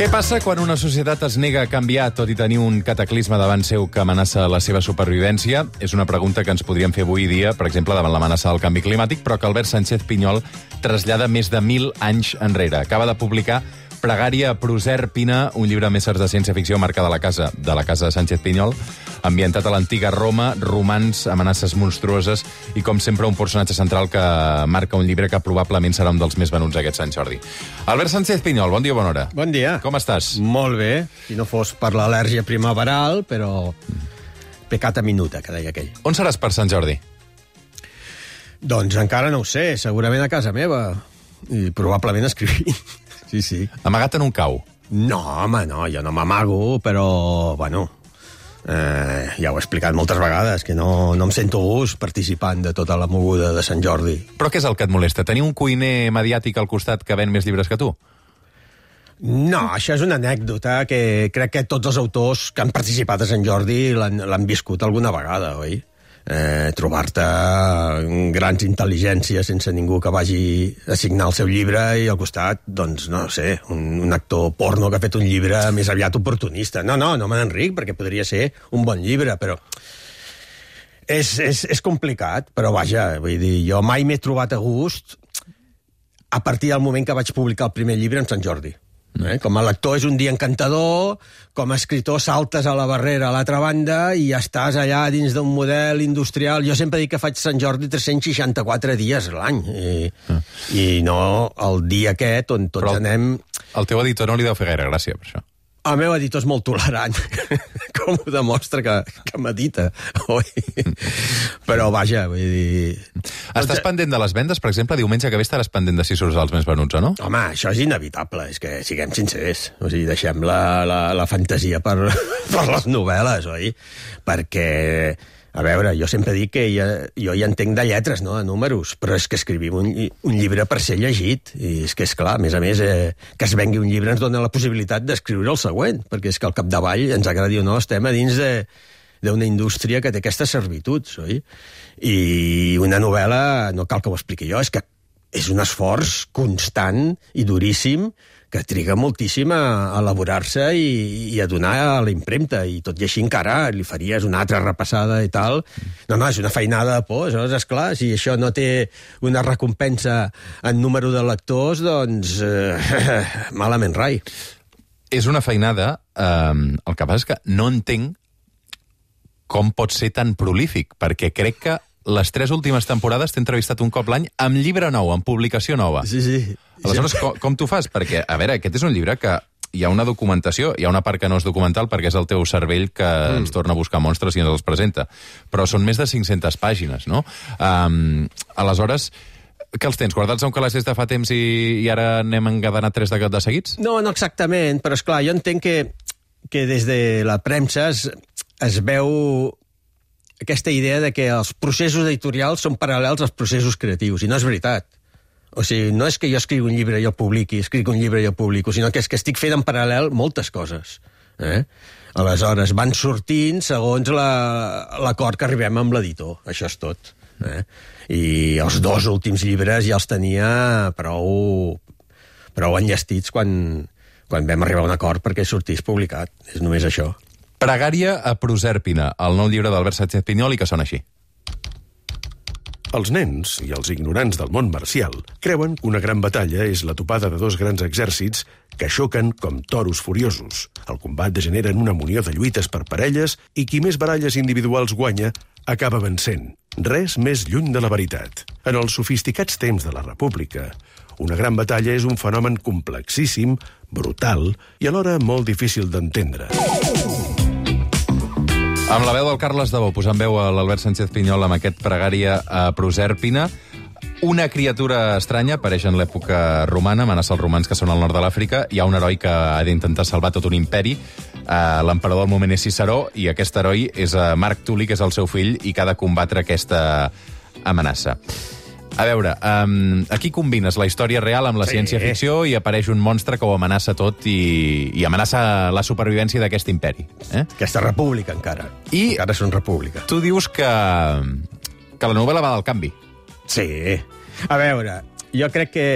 Què passa quan una societat es nega a canviar tot i tenir un cataclisme davant seu que amenaça la seva supervivència? És una pregunta que ens podríem fer avui dia, per exemple, davant l'amenaça del canvi climàtic, però que Albert Sánchez Pinyol trasllada més de 1.000 anys enrere. Acaba de publicar Pregària a Proserpina, un llibre amb éssers de ciència-ficció marca de la casa de Sánchez Pinyol, ambientat a l'antiga Roma, romans, amenaces monstruoses i, com sempre, un personatge central que marca un llibre que probablement serà un dels més venuts aquest Sant Jordi. Albert Sánchez Pinyol, bon dia, bona hora. Bon dia. Com estàs? Molt bé, si no fos per l'al·lèrgia primaveral, però peccata minuta, que deia aquell. On seràs per Sant Jordi? Doncs encara no ho sé, segurament a casa meva. I probablement escrivint. Sí. Amagat en un cau? No, home, no, jo no m'amago, però, bueno, ja ho he explicat moltes vegades, que no em sento gust participant de tota la moguda de Sant Jordi. Però què és el que et molesta? Tenir un cuiner mediàtic al costat que ven més llibres que tu? No, això és una anècdota que crec que tots els autors que han participat a Sant Jordi l'han viscut alguna vegada, oi? Trobar-te grans intel·ligències sense ningú que vagi a signar el seu llibre i al costat, doncs, no sé, un actor porno que ha fet un llibre més aviat oportunista. No me n'enric, perquè podria ser un bon llibre, però és complicat, però vaja, vull dir, jo mai m'he trobat a gust a partir del moment que vaig publicar el primer llibre en Sant Jordi. Com a lector és un dia encantador, com a escritor saltes a la barrera a l'altra banda i ja estàs allà dins d'un model industrial. Jo sempre dic que faig Sant Jordi 364 dies l'any i no el dia aquest on tots anem... El teu editor no li deu fer gaire gràcia, per això. El meu editor és molt tolerant, com ho demostra que medita, oi? Però vaja, vull dir... Estàs pendent de les vendes? Per exemple, diumenge que ve estaràs pendent de si surts els més venuts o no? Home, això és inevitable, és que siguem sincers. O sigui, deixem la fantasia per les novel·les, oi? Perquè... A veure, jo sempre dic que jo hi entenc de lletres, no?, de números, però és que escrivim un llibre per ser llegit. I és que, esclar, a més, que es vengui un llibre ens dona la possibilitat d'escriure el següent, perquè és que al capdavall, ens agradi o no, estem a dins d'una indústria que té aquestes servituds, oi? I una novel·la, no cal que ho expliqui jo, és que és un esforç constant i duríssim que triga moltíssim a elaborar-se i a donar a la impremta, i tot i així encara li faries una altra repassada i tal. No, és una feinada de por, aleshores, esclar, si això no té una recompensa en número de lectors, doncs malament rai. És una feinada, el que passa és que no entenc com pot ser tan prolífic, perquè crec que les 3 últimes temporades t'he entrevistat un cop l'any amb llibre nou, amb publicació nova. Sí. Aleshores, com t'ho fas? Perquè, a veure, aquest és un llibre que hi ha una documentació, hi ha una part que no és documental perquè és el teu cervell que ens torna a buscar monstres i ens els presenta. Però són més de 500 pàgines, no? Aleshores, que els tens guardats a un calaix des de fa temps i ara n'hem engadanat 3 de seguits? No exactament, però esclar, jo entenc que des de la premsa es veu aquesta idea de que els processos editorials són paral·lels als processos creatius, i no és veritat. O sigui, no és que jo escrigui un llibre i el publiqui, escric un llibre i el publico, sinó que és que estic fent en paral·lel moltes coses. Aleshores, van sortint segons l'acord que arribem amb l'editor. Això és tot. I els 2 últims llibres ja els tenia prou enllestits quan vam arribar a un acord perquè sortís publicat. És només això. Pregària a Proserpina, el nou llibre d'Albert Sánchez Pinyol, i que sona així. Els nens i els ignorants del món marcial creuen que una gran batalla és la topada de 2 grans exèrcits que xoquen com toros furiosos. El combat degenera en una munió de lluites per parelles i qui més baralles individuals guanya acaba vencent. Res més lluny de la veritat. En els sofisticats temps de la República, una gran batalla és un fenomen complexíssim, brutal i alhora molt difícil d'entendre. Amb la veu del Carles Dabó, posant veu a l'Albert Sánchez Pinyol amb aquest Pregària a Proserpina. Una criatura estranya apareix en l'època romana, amenaça els romans que són al nord de l'Àfrica. Hi ha un heroi que ha d'intentar salvar tot un imperi. L'emperador al moment és Ciceró, i aquest heroi és Marc Tuli, que és el seu fill, i que ha de combatre aquesta amenaça. A veure, aquí combines la història real amb la ciència-ficció i apareix un monstre que ho amenaça tot i amenaça la supervivència d'aquest imperi. Aquesta república, encara. Encara és una república. Tu dius que la novel·la va del canvi. Sí. A veure, jo crec que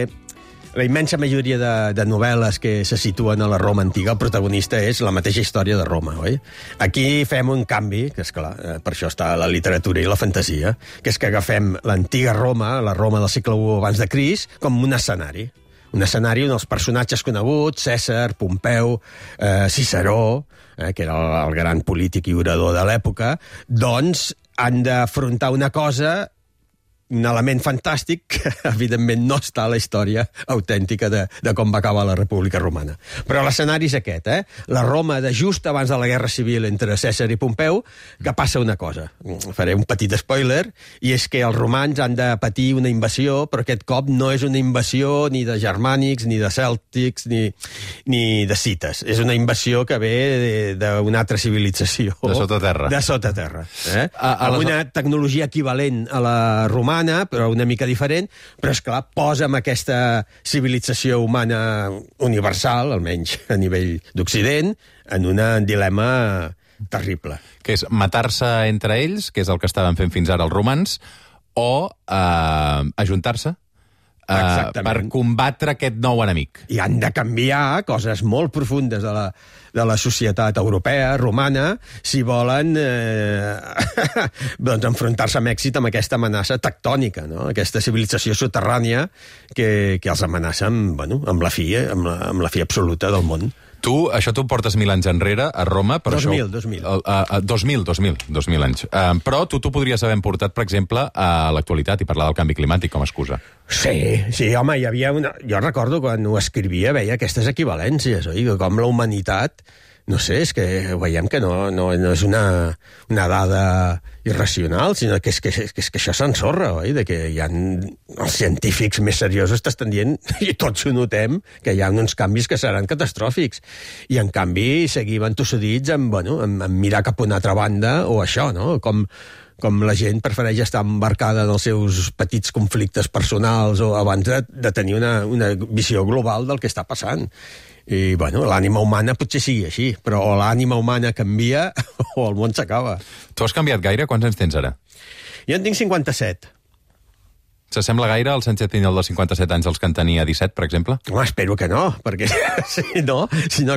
la immensa majoria de novel·les que se situen a la Roma antiga, el protagonista és la mateixa història de Roma, oi? Aquí fem un canvi, que és clar, per això està la literatura i la fantasia, que és que agafem l'antiga Roma, la Roma del segle I abans de Crist, com un escenari. Un escenari on els personatges coneguts, Cèsar, Pompeu, Ciceró, que era el gran polític i orador de l'època, doncs han d'afrontar una cosa, un element fantàstic que, evidentment, no està a la història autèntica de com va acabar la República Romana. Però l'escenari és aquest, La Roma de just abans de la Guerra Civil entre Cèsar i Pompeu, que passa una cosa. Faré un petit spoiler, i és que els romans han de patir una invasió, però aquest cop no és una invasió ni de germànics, ni de cèltics, ni de cites. És una invasió que ve d'una altra civilització. De sota terra. De sota terra. Amb una tecnologia equivalent a la romana, però una mica diferent, però, esclar, posa amb aquesta civilització humana universal, almenys a nivell d'Occident, en un dilema terrible. Que és matar-se entre ells, que és el que estaven fent fins ara els romans, o ajuntar-se per combatre aquest nou enemic. I han de canviar coses molt profundes de la societat europea, romana, si volen doncs enfrontar-se amb èxit amb aquesta amenaça tectònica, no? Aquesta civilització soterrània que els amenaça amb la fi absoluta del món. Això tu portes 1.000 anys enrere, a Roma, però 2.000 anys. Però tu podries haver portat, per exemple, a l'actualitat i parlar del canvi climàtic com a excusa. Sí, home, hi havia una... Jo recordo quan ho escrivia, veia aquestes equivalències, oi? Com la humanitat... No sé, és que veiem que no és una dada irracional, sinó que és que això s'ensorra, oi? De que hi ha els científics més seriosos t'estan dient, i tots ho notem, que hi ha uns canvis que seran catastròfics. I, en canvi, seguim entossudits amb mirar cap a una altra banda, o això, no? Com la gent prefereix estar embarcada en els seus petits conflictes personals o abans de tenir una visió global del que està passant. I, l'ànima humana potser sigui així, però o l'ànima humana canvia o el món s'acaba. Tu has canviat gaire? Quants anys tens ara? Jo en tinc 57. S'assembla gaire al Sánchez Piñol dels 57 anys als que en tenia 17, per exemple? Home, espero que no, perquè si no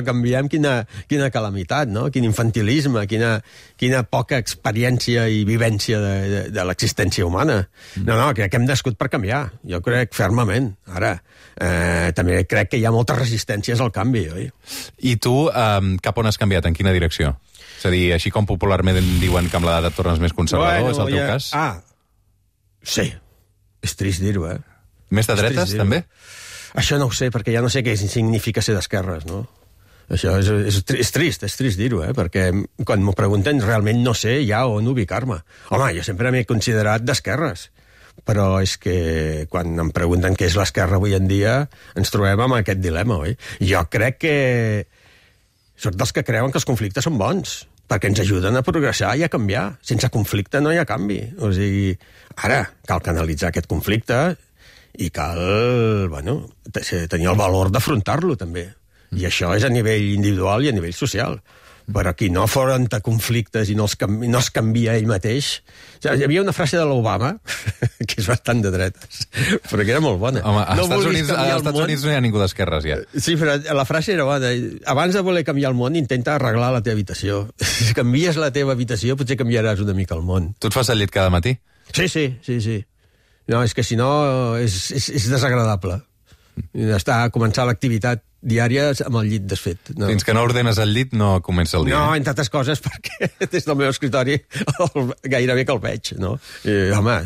canviem, quina calamitat, no? Quin infantilisme, quina poca experiència i vivència de l'existència humana. No, crec que hem nascut per canviar. Jo crec fermament. Ara, també crec que hi ha moltes resistències al canvi, oi? I tu, cap on has canviat? En quina direcció? És a dir, així com popularment diuen que amb l'edat et tornes més conservador, és el teu cas? Sí. És trist dir-ho, Més de dretes, també? Això no ho sé, perquè ja no sé què significa ser d'esquerres, no? Això és trist dir-ho, perquè quan m'ho pregunten realment no sé ja on ubicar-me. Home, jo sempre m'he considerat d'esquerres, però és que quan em pregunten què és l'esquerra avui en dia ens trobem amb aquest dilema, oi? Jo crec que soc dels que creuen que els conflictes són bons, perquè ens ajuden a progressar i a canviar. Sense conflicte no hi ha canvi. O sigui, ara cal canalitzar aquest conflicte i cal, tenir el valor d'afrontar-lo, també. I això és a nivell individual i a nivell social. Però qui no afronta conflictes i no es canvia ell mateix... O sigui, hi havia una frase de l'Obama, que és bastant de dretes, però que era molt bona. Home, als Estats Units no hi ha ningú d'esquerres, ja. Sí, però la frase era bona. Abans de voler canviar el món, intenta arreglar la teva habitació. Si canvies la teva habitació, potser canviaràs una mica el món. Tu et fas el llit cada matí? Sí. No, és que si no és desagradable. Començar l'activitat diària amb el llit desfet. No. Fins que no ordenes el llit no comença el dia. No, entre altres coses, perquè des del meu escritori gairebé que el veig, no? Home,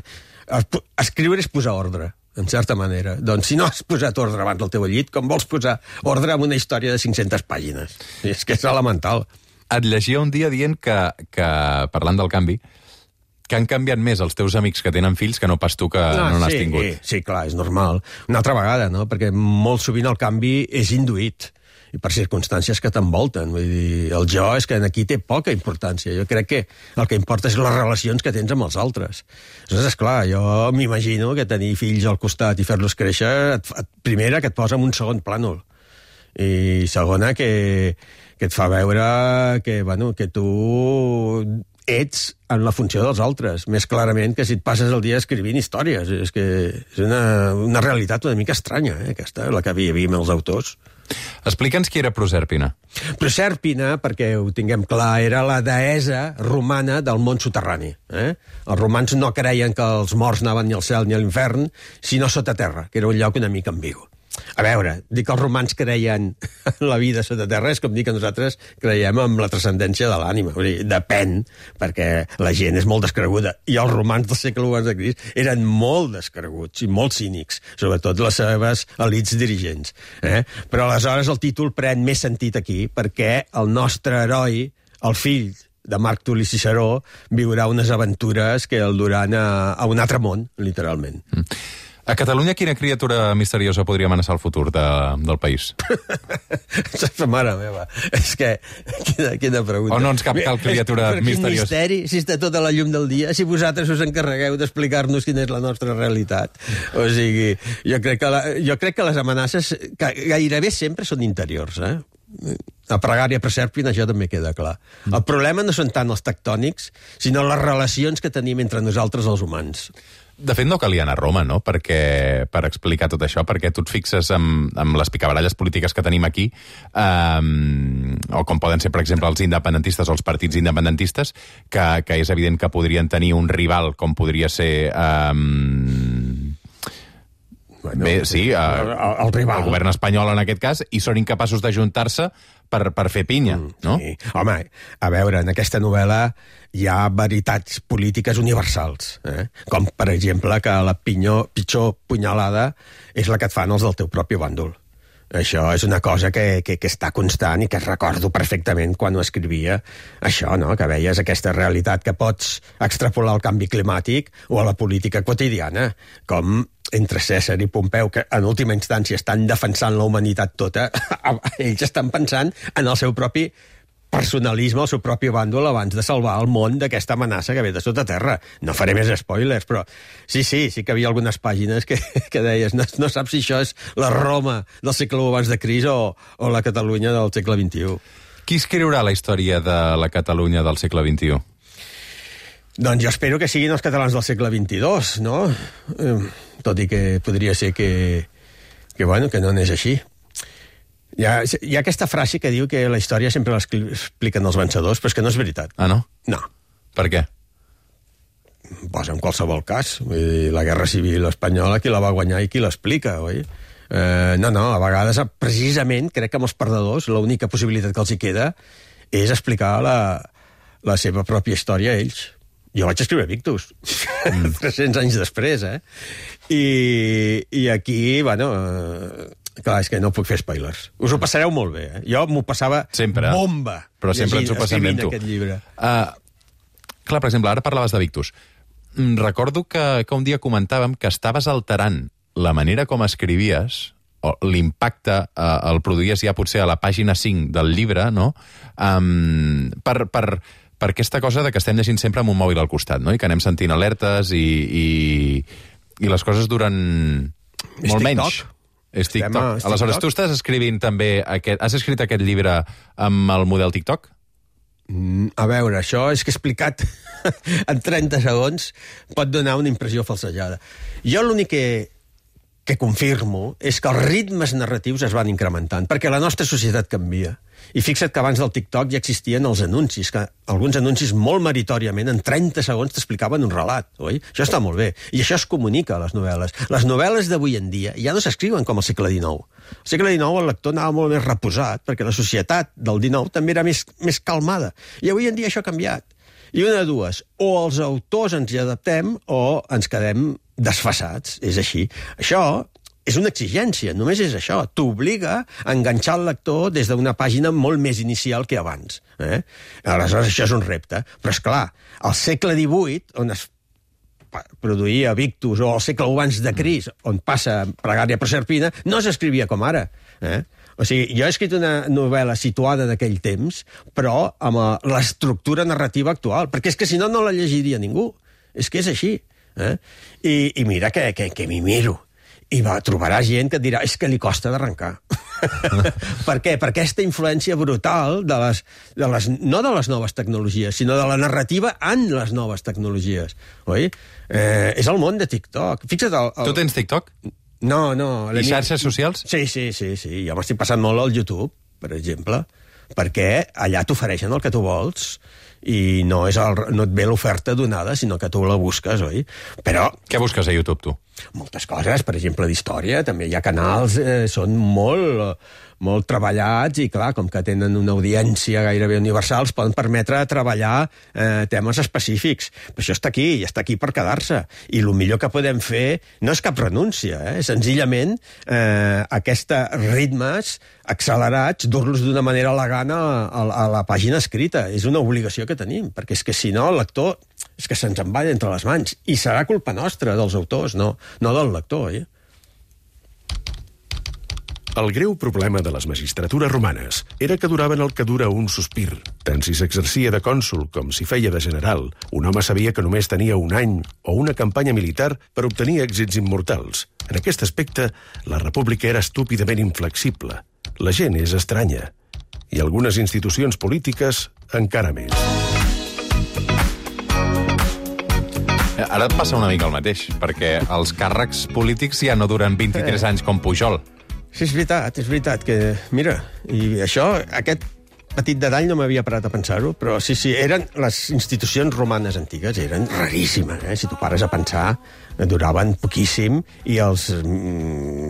escriure és posar ordre, en certa manera. Doncs si no has posat ordre abans del teu llit, com vols posar ordre en una història de 500 pàgines? És que és elemental. Et llegia un dia dient que parlant del canvi, que han canviat més els teus amics que tenen fills que no pas tu que no n'has tingut. Sí, clar, és normal. Una altra vegada, no? Perquè molt sovint el canvi és induït i per circumstàncies que t'envolten. Vull dir, el jo és que aquí té poca importància. Jo crec que el que importa és les relacions que tens amb els altres. Aleshores, esclar, jo m'imagino que tenir fills al costat i fer-los créixer, primera, que et posa en un segon plànol. I segona, que et fa veure que tu ets en la funció dels altres, més clarament que si et passes el dia escrivint històries. És que és una realitat una mica estranya, aquesta, la que vivim els autors. Explica'ns qui era Prosèrpina. Prosèrpina, perquè ho tinguem clar, era la deessa romana del món soterrani. Els romans no creien que els morts anaven ni al cel ni a l'infern, sinó sota terra, que era un lloc una mica ambigu. A veure, dir que els romans creien en la vida sota terra és com dir que nosaltres creiem en la transcendència de l'ànima. Depèn, perquè la gent és molt descreguda. I els romans del segle I de Crist eren molt descreguts i molt cínics, sobretot les seves elits dirigents. Però aleshores el títol pren més sentit aquí, perquè el nostre heroi, el fill de Marc Tuli Ciceró, viurà unes aventures que el duran a un altre món, literalment. A Catalunya, quina criatura misteriosa podria amenaçar el futur del país? Mare meva, és que... Quina pregunta. O no ens cap cal criatura misteriosa? Quin misteri, si està tota la llum del dia, si vosaltres us encarregueu d'explicar-nos quina és la nostra realitat. O sigui, jo crec que les amenaces gairebé sempre són interiors, A Pregària Prosèrpina això també queda clar. El problema no són tant els tectònics, sinó les relacions que tenim entre nosaltres els humans. De fet, no calia anar a Roma, no?, per explicar tot això, perquè tu et fixes amb les picabaralles polítiques que tenim aquí, o com poden ser, per exemple, els independentistes o els partits independentistes, que és evident que podrien tenir un rival, com podria ser... Bé, sí, el rival. El govern espanyol en aquest cas, i són incapaços d'ajuntar-se per fer pinya, no? Sí. Home, a veure, en aquesta novel·la hi ha veritats polítiques universals, com, per exemple, que la pitjor punyalada és la que et fan els del teu propi bàndol. Això és una cosa que està constant i que recordo perfectament quan ho escrivia. Això, no?, que veies aquesta realitat que pots extrapolar al canvi climàtic o a la política quotidiana, com entre Cèsar i Pompeu, que en última instància estan defensant la humanitat tota, ells estan pensant en el seu propi personalisme, el seu propi bàndol, abans de salvar el món d'aquesta amenaça que ve de sota terra. No faré més spoilers, però sí que havia algunes pàgines que deies no saps si això és la Roma del segle I abans de Crist o la Catalunya del segle XXI. Qui escriurà la història de la Catalunya del segle XXI? Doncs jo espero que siguin els catalans del segle XXII, no? Tot i que podria ser que no n'és així. Hi ha aquesta frase que diu que la història sempre l'expliquen els vencedors, però és que no és veritat. Ah, no? No. Per què? Pues en qualsevol cas. Vull dir, la Guerra Civil Espanyola, qui la va guanyar i qui l'explica, oi? No, a vegades, precisament, crec que amb els perdedors, l'única possibilitat que els hi queda és explicar la seva pròpia història a ells. Jo vaig escriure Victus, 300 anys després, I aquí, clar, és que no puc fer spoilers. Us ho passareu molt bé, Jo m'ho passava sempre, bomba. Però sempre ens ho passem bé amb tu. Aquest llibre. Clar, per exemple, ara parlaves de Victus. Recordo que un dia comentàvem que estaves alterant la manera com escrivies, o l'impacte el produïes ja potser a la pàgina 5 del llibre, no?, per aquesta cosa de que estem llegint sempre amb un mòbil al costat, no?, i que anem sentint alertes i les coses duren molt menys. És TikTok. Aleshores, tu estàs escrivint també has escrit aquest llibre amb el model TikTok? A veure, això és que explicat en 30 segons pot donar una impressió falsejada. Jo l'únic que confirmo és que els ritmes narratius es van incrementant, perquè la nostra societat canvia. I fixa't que abans del TikTok ja existien els anuncis, que alguns anuncis molt meritòriament en 30 segons t'explicaven un relat, oi? Això està molt bé. I això es comunica a les novel·les. Les novel·les d'avui en dia ja no s'escriuen com al segle XIX. Al segle XIX el lector anava molt més reposat, perquè la societat del XIX també era més calmada. I avui en dia això ha canviat. I una de dues, o els autors ens hi adaptem o ens quedem desfasats. És així. Això és una exigència, només és això. T'obliga a enganxar el lector des d'una pàgina molt més inicial que abans. Aleshores, això és un repte. Però, és clar, al segle XVIII, on es produïa Victus, o al segle I abans de Crist, on passa Pregària Prosèrpina, no s'escrivia com ara. O sigui, jo he escrit una novel·la situada d'aquell temps, però amb l'estructura narrativa actual, perquè és que si no, no la llegiria ningú. És que és així. I mira que m'hi miro. I trobarà gent que et dirà, és que li costa d'arrencar. Per què? Per aquesta influència brutal no de les noves tecnologies, sinó de la narrativa en les noves tecnologies. Oi? És el món de TikTok. Fixa't... Tu tens TikTok? No. I xarxes socials? Sí. Jo m'estic passant molt al YouTube, per exemple, perquè allà t'ofereixen el que tu vols i no et ve l'oferta donada, sinó que tu la busques, oi? Però... Què busques a YouTube, tu? Moltes coses, per exemple, d'història. També hi ha canals, són molt treballats i, clar, com que tenen una audiència gairebé universal, es poden permetre treballar temes específics. Però això està aquí per quedar-se. I el millor que podem fer no és cap renúncia, senzillament aquests ritmes accelerats, dur-los d'una manera elegant a la pàgina escrita. És una obligació que tenim, perquè és que si no el lector és que se'ns en va entre les mans. I serà culpa nostra, dels autors, no del lector, oi? El greu problema de les magistratures romanes era que duraven el que dura un sospir. Tant si s'exercia de cònsul com si feia de general, un home sabia que només tenia un any o una campanya militar per obtenir èxits immortals. En aquest aspecte, la república era estúpidament inflexible. La gent és estranya. I algunes institucions polítiques encara més. Ara et passa una mica el mateix, perquè els càrrecs polítics ja no duren 23 anys com Pujol. Sí, és veritat que... Mira, i això, aquest petit detall no m'havia parat a pensar-ho, però sí, eren les institucions romanes antigues, eren raríssimes, Si tu pares a pensar, duraven poquíssim i els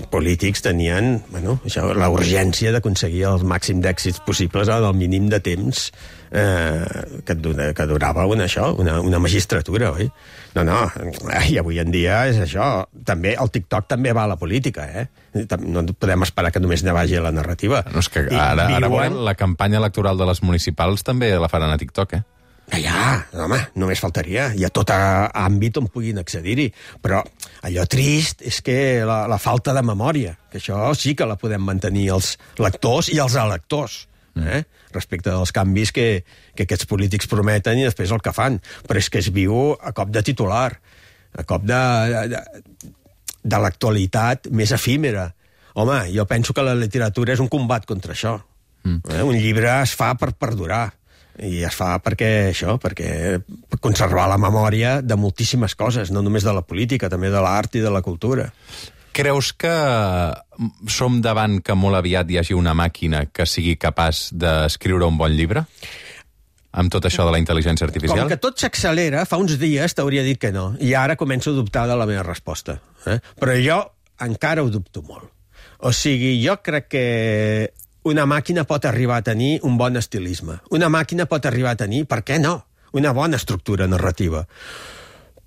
polítics tenien, la urgència d'aconseguir el màxim d'èxits possibles en el mínim de temps que durava una magistratura, oi? No, i avui en dia és això. També, el TikTok també va a la política, No podem esperar que només ne vagi a la narrativa. No, és que ara veurem, la campanya electoral de les municipals també la faran a TikTok, home, només faltaria. Hi ha tot àmbit on puguin accedir-hi. Però allò trist és que la falta de memòria, que això sí que la podem mantenir els lectors i els electors, respecte dels canvis que aquests polítics prometen i després el que fan. Però és que es viu a cop de titular, a cop de l'actualitat més efímera. Home, jo penso que la literatura és un combat contra això. Un llibre es fa per perdurar. I es fa perquè conservar la memòria de moltíssimes coses, no només de la política, també de l'art i de la cultura. Creus que som davant que molt aviat hi hagi una màquina que sigui capaç d'escriure un bon llibre? Amb tot això de la intel·ligència artificial? Com que tot s'accelera, fa uns dies t'hauria dit que no. I ara començo a dubtar de la meva resposta. Però jo encara ho dubto molt. O sigui, jo crec que una màquina pot arribar a tenir un bon estilisme. Una màquina pot arribar a tenir, per què no, una bona estructura narrativa.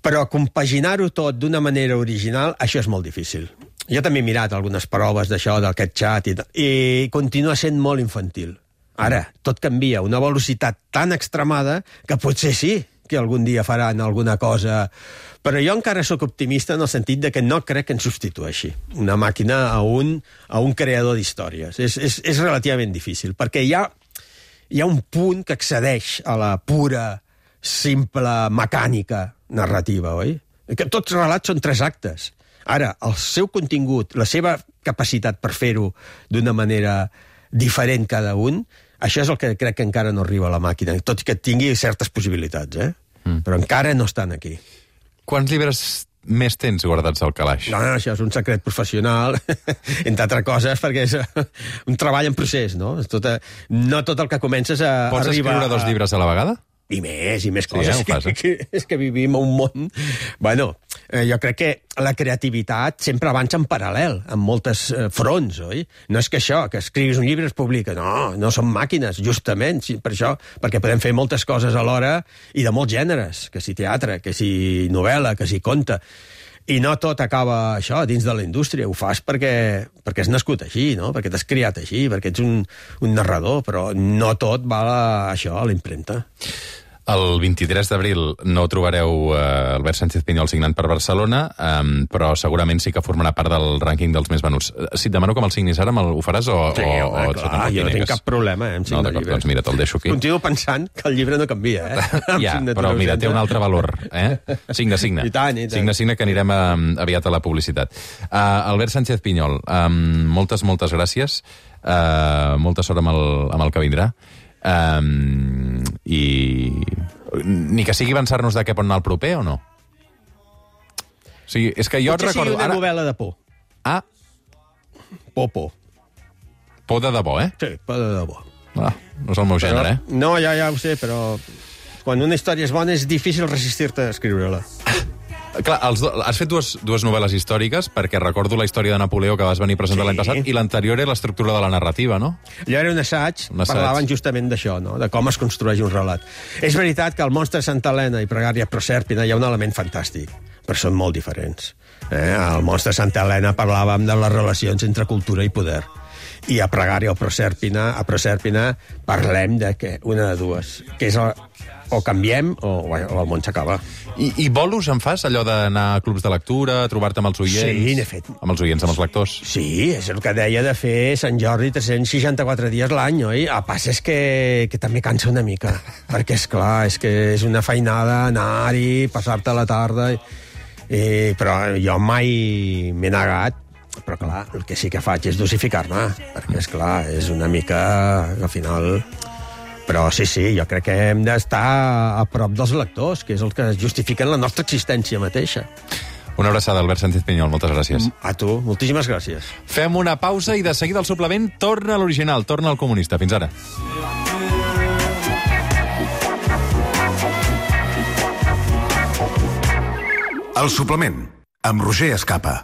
Però compaginar-ho tot d'una manera original, això és molt difícil. Jo també he mirat algunes proves d'això, d'aquest xat, i continua sent molt infantil. Ara, tot canvia a una velocitat tan extremada que potser sí que algun dia faran alguna cosa. Però jo encara sóc optimista en el sentit de que no crec que ens substitueixi una màquina a un creador d'històries. És relativament difícil, perquè hi ha un punt que excedeix a la pura, simple mecànica narrativa, oi? Que tots els relats són 3 actes. Ara, el seu contingut, la seva capacitat per fer-ho d'una manera diferent cada un, això és el que crec que encara no arriba a la màquina, tot i que tingui certes possibilitats, però encara no estan aquí. Quants llibres més tens guardats al calaix? No, això és un secret professional, entre altres coses, perquè és un treball en procés, no? No tot el que comences a Pots arribar... escriure 2 llibres a la vegada? I més coses. Sí, és que vivim en un món... Bueno, jo crec que la creativitat sempre avança en paral·lel, en moltes fronts, oi? No és que això, que escriguis un llibre es publica. No són màquines, justament, per això, perquè podem fer moltes coses alhora i de molts gèneres, que si teatre, que si novel·la, que si conte. I no tot acaba això dins de la indústria, ho fas perquè has nascut així, no? Perquè t'has criat així, perquè ets un narrador, però no tot va a la impremta. El 23 d'abril no trobareu Albert Sánchez Pinyol signant per Barcelona, però segurament sí que formarà part del rànquing dels més venuts. Si et demano que me'l signis ara, ho faràs o Sí, home, clar, jo no tinc cap problema en signar d'acord, llibres. doncs mira, te'l deixo aquí. Continuo pensant que el llibre no canvia, Ja, però mira, té un altre valor. Signa. I tant. Signa, que anirem aviat a la publicitat. Albert Sánchez Pinyol, moltes gràcies. Molta sort amb el que vindrà. I ni que sigui avançar-nos de què pot anar el proper o no? O sigui, és que jo potser recordo... sigui una novel·la de por. Por. Por de debò, Sí, por de debò. No és el meu gènere, No, ja ho sé, però quan una història és bona és difícil resistir-te a escriure-la. Clar, has fet dues novel·les històriques, perquè recordo la història de Napoleó que vas venir a presentar l'any passat, i l'anterior era l'estructura de la narrativa, no? Allò era un assaig, parlaven justament d'això, no? De com es construeix un relat. És veritat que el monstre de Santa Helena i Pregària Prosèrpina hi ha un element fantàstic, però són molt diferents. Al monstre de Santa Helena parlàvem de les relacions entre cultura i poder. I a Pregària o Prosèrpina parlem de que una de dues, que és o canviem o el món s'acaba. I bolos en fas, allò d'anar a clubs de lectura, trobar-te amb els oients? Sí, n'he fet. Amb els oients, amb els lectors? Sí, és el que deia de fer Sant Jordi 364 dies l'any, oi? El pas és que també cansa una mica, perquè, esclar, és que és una feinada anar-hi, passar-te la tarda... però jo mai m'he negat, però clar, el que sí que faig és dosificar-me, perquè, esclar, és una mica... Al final... Però sí, jo crec que hem d'estar a prop dels lectors, que és el que justifiquen la nostra existència mateixa. Una abraçada, Albert Sánchez Pinyol, moltes gràcies. A tu, moltíssimes gràcies. Fem una pausa i de seguida el suplement torna a l'original, torna al comunista. Fins ara. El suplement, amb Roger Escapa.